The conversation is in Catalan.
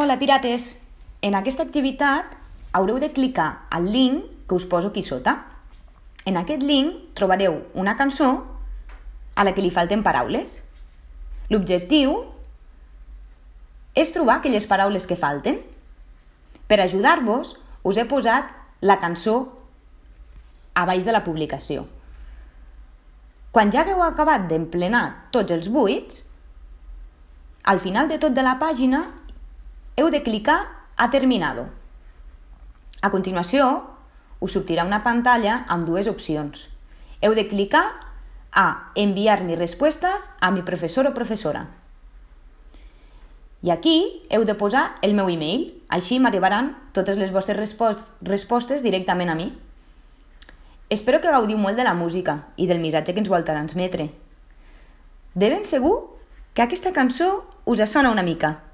Hola, pirates! En aquesta activitat haureu de clicar al link que us poso aquí sota. En aquest link trobareu una cançó a la que li falten paraules. L'objectiu és trobar aquelles paraules que falten. Per ajudar-vos, us he posat la cançó a baix de la publicació. Quan ja hagueu acabat d'emplenar tots els buits, al final de tot de la pàgina heu de clicar a terminado. A continuació, us sortirà una pantalla amb dues opcions. Heu de clicar a enviar mis respuestas a mi profesor o professora. I aquí heu de posar el meu email, així m'arribaran totes les vostres respostes directament a mi. Espero que gaudiu molt de la música i del missatge que ens vol transmetre. De ben segur que aquesta cançó us sona una mica.